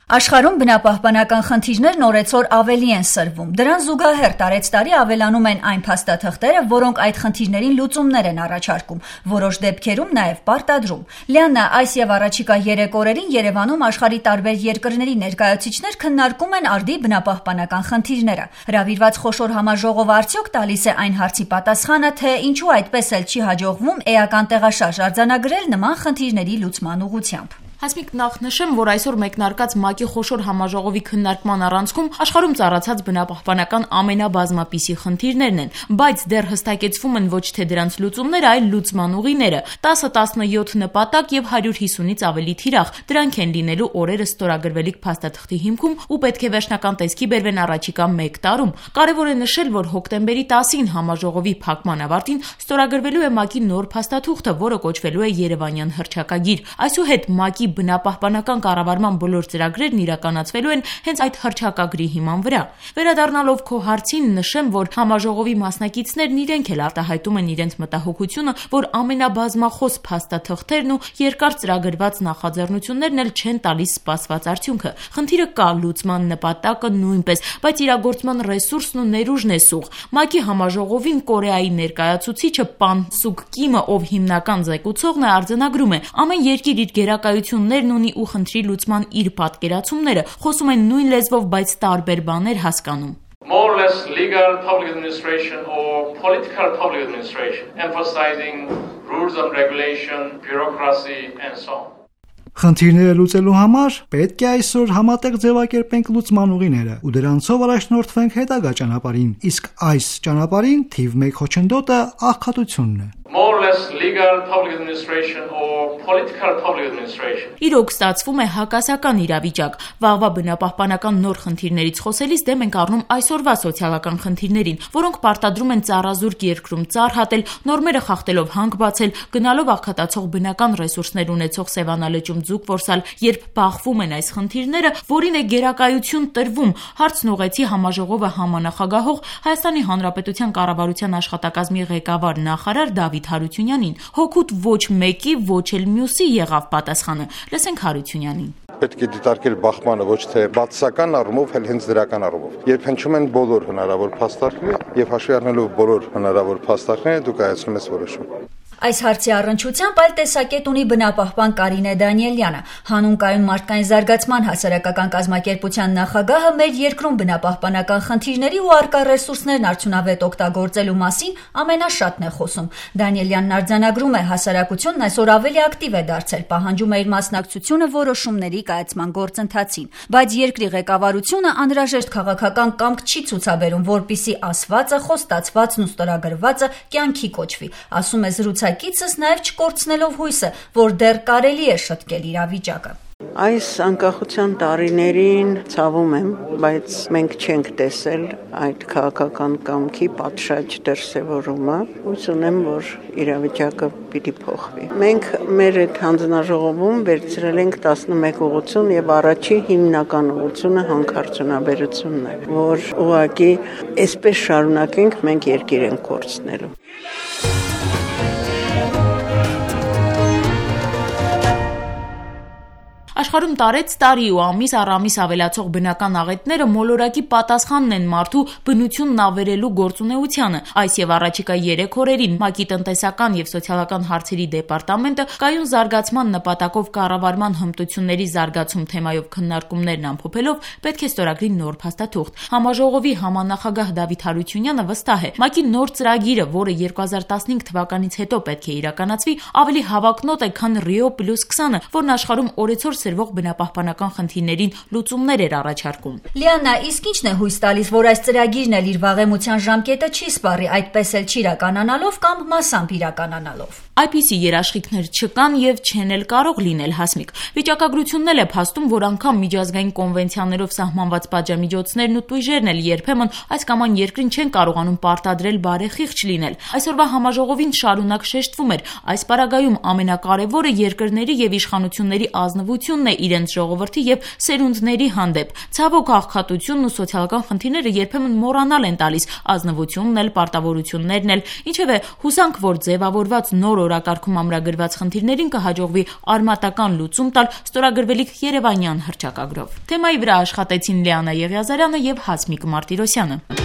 Աշխարհում բնապահպանական խնդիրներն օրեցօր ավելի են սրվում։ Դրան զուգահեռ տարեց տարի ավելանում են այն փաստաթղթերը, որոնք այդ խնդիրներին լուծումներ են առաջարկում, որոշ դեպքերում նաև պարտադրում։ Լիաննա, այս եւ առաջիկա 3 օրերին Երևանում աշխարհի տարբեր երկրների ներկայացուցիչներ քննարկում են արդի բնապահպանական խնդիրները։ Հրավիրված խոշոր համաժողովը արդյոք տալիս է այն հարցի պատասխանը, թե ինչու այդպես էլ չի հաջողվում էական տեղաշարժ արձանագրել նման խնդիրների լուծման ուղղությամբ։ Հասմիկ, նախ նշեմ, որ այսօր մեկնարկած ՄԱԿ-ի խոշոր համաժողովի քննարկման առանցքում աշխարհում ծառացած բնապահպանական ամենաբազմապիսի խնդիրներն են, բայց դեռ հստակեցվում են ոչ թե դրանց լուծումները, այլ լուծման ուղիները։ 10-17 նպատակ եւ 150-ից ավելի թիրախ։ Դրանք են լինելու օրերը ստորագրվելիք փաստաթղթի հիմքում ու պետք է վերջնական տեսքի բերվեն առաջիկա 1 տարում։ Կարևոր է նշել, որ հոկտեմբերի 10-ին համաժողովի փակման ավարտին ստորագրվելու է ՄԱԿ-ի նոր փաստաթուղթը, որը կոչվելու է Երևանյան հռչակագիր։ Այսուհետ ՄԱԿ-ի բնապահպանական կառավարման բոլոր ծրագրերն իրականացվելու են հենց այդ հռչակագրի հիման վրա։ Վերադառնալով քո հարցին, նշեմ, որ համաժողովի մասնակիցներն իրենք էլ արտահայտում են իրենց մտահոգությունը, որ ամենաբազմախոս փաստաթղթերն ու երկար ծրագրված նախաձեռնություններն էլ չեն տալիս սպասված արդյունքը։ Խնդիրը կա, լուծման նպատակը նույնպես, բայց իրագործման ռեսուրսն ու ներուժն է սուղ։ ՄԱԿ-ի համաժողովին Կորեայի ներկայացուցիչը Պան Սուկ Կիմը, ով հիմնական զեկուցողն է, արձանագրում է. ամեն երկիր իր գերակայություններն ունի ու խնդրի լուծման իր պատկերացումները, խոսում են նույն լեզվով, բայց տարբեր բաներ հասկանում։ More or less legal public administration or political public administration, emphasizing rules and regulation, bureaucracy and so on. Խնդիրները լուծելու համար պետք է այսօր համատեղ ձևակերպենք լուծման ուղիները ու դրանցով առաջնորդվենք հետագա ճանապարհին, իսկ այս ճանապարհին թիվ 1 խոչընդոտը աղքատությունն է։ More or less legal public administration or political public administration. Իրոք ստացվում է հակասական իրավիճակ։ Վաղվա բնապահպանական նոր խնդիրներից խոսելիս դեմ ենք առնում այսօրվա սոցիալական խնդիրներին, որոնք պարտադրում են ծառազուրկ երկրում ծառ հատել, նորմերը խախտելով հանք բացել, գնալով աղքատացող բնական ռեսուրսներ ունեցող Սևանալեճում ձուկ որսալ, երբ բախվում են այս խնդիրները, որին է գերակայություն տրվում, հարցն ուղղեցի համաժողովը համանախագահող Հայաստանի Հանրապետության կառավարության աշխատակազմի ղեկավար նախարար Դավիթ Հարությունյանին։ Հոգուտ ոչ մեկի, ոչ էլ մյուսի եղավ պատասխանը։ Լսենք Հարությունյանին։ Պետք է դիտարկել բախմանը ոչ թե բացասական առումով, այլ հենց դրական առումով։ Երբ հնչում են բոլոր հնարավոր փաստարկները եւ հաշվի առնելով բոլոր հնարավոր փաստարկները, դուք կայացնում եք որոշում։ Այս հարցի առնչությամբ այլ տեսակետ ունի բնապահպան Կարինե Դանիելյանը։ Հանուն կայուն մարդկային զարգացման հասարակական կազմակերպության նախագահը մեր երկրում բնապահպանական խնդիրների ու առկա ռեսուրսներն արդյունավետ օգտագործելու մասին ամենաշատն է խոսում։ Դանիելյանն արձանագրում է, հասարակությունն այսօր ավելի ակտիվ է դարձել, պահանջում է իր մասնակցությունը որոշումների կայացման գործընթացին, բայց երկրի ղեկավարությունը անհրաժեշտ քաղաքական կամք չի ցուցաբերում, որպիսի ասվածը, խոստացվածն ու ստորագրվածը կյանքի կոչվի, ասում է զրուցակիցս, նաև չկորցնելով հույսը, որ դեռ կարելի է շտկել իրավիճակը։ Այս անկախության տարիներին ցավում եմ, բայց մենք չենք տեսել այդ քաղաքական կամքի պատշաճ դրսևորումը։ Հույս ունեմ, որ իրավիճակը պիտի փոխվի։ Մենք մեր այդ հանձնաժողովում վերցրել ենք 11 ուղղություն եւ առաջի հիմնական ուղղությունը հանքարդյունաբերությունն է, որ ուղղակի այսպես շարունակենք, մենք երկիր ենք կորցնելու։ Աշխարհում տարեց տարի ու ամիս առ ամիս ավելացող բնական աղետները մոլորակի պատասխանն են մարդու բնությունն ավերելու գործունեությանը։ Այս եւ առաջիկա 3 օրերին ՄԱԿ-ի տնտեսական եւ սոցիալական հարցերի դեպարտամենտը կայուն զարգացման նպատակով կառավարման հմտությունների զարգացում թեմայով քննարկումներն ամփոփելով պետք է ստորագրի նոր փաստաթուղթ։ Համաժողովի համանախագահ Դավիթ Հարությունյանը վստահ է, ՄԱԿ-ի նոր ծրագիրը, որը 2015 թվականից հետո պետք է իրականացվի, ավելի հավակնոտ է, քան Rio +20-ը, որն աշխարհում օրեցօր սրվող բնապահպանական խնդիրներին լուծումներ էր առաջարկում։ Լիաննա, իսկ ինչն է հույս տալիս, որ այս ծրագիրն էլ իր վաղեմության ժամկետը չի սպառի, այդպես էլ չի իրականանալով կամ մասամբ իրականանալով։ Այդպիսի երաշխիքներ չկան եւ չեն էլ կարող լինել, Հասմիկ։ Վիճակագրությունն էլ է փաստում, որ անգամ միջազգային կոնվենցիաներով սահմանված պատժամիջոցներն ու տույժերն էլ երբեմն այս կամ այն երկրին չեն կարողանում պարտադրել բարեխիղճ լինել։ Այսօրվա համաժողովին շարունակ շեշտվում էր, այս պարագայում ամենակարևորը երկրների եւ իշխանությունների ազնվությունն է իրենց ժողովրդի եւ սերունդների հանդեպ։ Ցավոք աղքատությունն ու սոցիալական խնդիրները երբեմն մոռանալ են տալիս, ազնվությունն էլ, պարտավորություններն էլ, ինչևէ հուսանք, որ ձևավորված նոր օրակարգում ամրագրված խնդիրներին կհաջողվի արմատական լուծում տալ ստորագրվելիք երևանյան հռչակագրով։ Թեմայի վրա աշխատեցին Լիանա Եղիազարյանը եւ Հասմիկ Մարտիրոսյանը։